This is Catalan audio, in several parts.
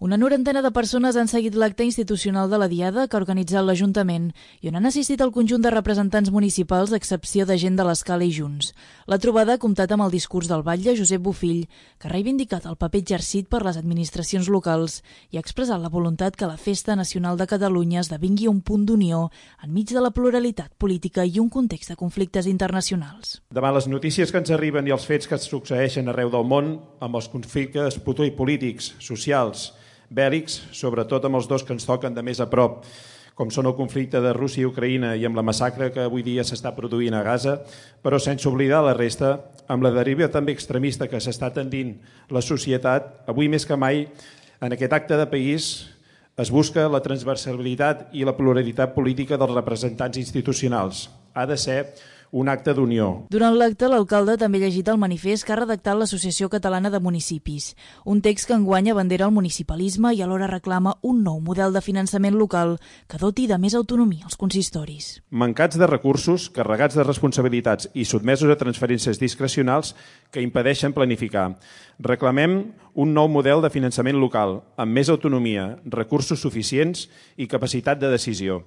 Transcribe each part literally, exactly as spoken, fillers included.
Una norantena de persones han seguit l'acte institucional de la Diada que ha organitzat l'Ajuntament i on han assistit el conjunt de representants municipals a excepció de gent de l'Escala i Junts. La trobada ha comptat amb el discurs del batlle Josep Bofill, que ha reivindicat el paper exercit per les administracions locals i ha expressat la voluntat que la Festa Nacional de Catalunya esdevingui un punt d'unió enmig de la pluralitat política i un context de conflictes internacionals. Davant les notícies que ens arriben i els fets que es succeeixen arreu del món, amb els conflictes polítics, socials, bèl·lics, sobretot amb els dos que ens toquen de més a prop, com són el conflicte de Rússia i Ucraïna i amb la massacre que avui dia s'està produint a Gaza, però sense oblidar la resta, amb la deriva també extremista que s'està tendint la societat, avui més que mai, en aquest acte de país es busca la transversalitat i la pluralitat política dels representants institucionals. Ha de ser un acte d'unió. Durant l'acte, l'alcalde també ha llegit el manifest que ha redactat l'Associació Catalana de Municipis, un text que enguany abandera el municipalisme i alhora reclama un nou model de finançament local que doti de més autonomia als consistoris. Mancats de recursos, carregats de responsabilitats i sotmesos a transferències discrecionals que impedeixen planificar. Reclamem un nou model de finançament local, amb més autonomia, recursos suficients i capacitat de decisió.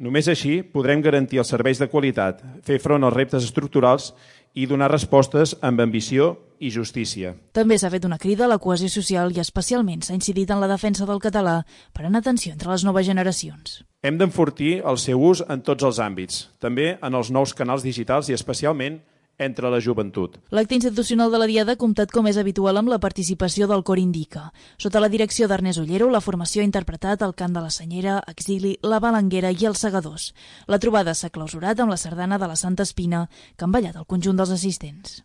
Només així podrem garantir els serveis de qualitat, fer front als reptes estructurals i donar respostes amb ambició i justícia. També s'ha fet una crida a la cohesió social i especialment s'ha incidit en la defensa del català per anar atenció entre les noves generacions. Hem d'enfortir el seu ús en tots els àmbits, també en els nous canals digitals i especialment entre la joventut. L'acte institucional de la Diada ha comptat, com és habitual, amb la participació del Cor Indica. Sota la direcció d'Ernest Ollero, la formació ha interpretat el cant de la Senyera, Exili, la Balanguera i els Segadors. La trobada s'ha clausurat amb la sardana de la Santa Espina, que han ballat el conjunt dels assistents.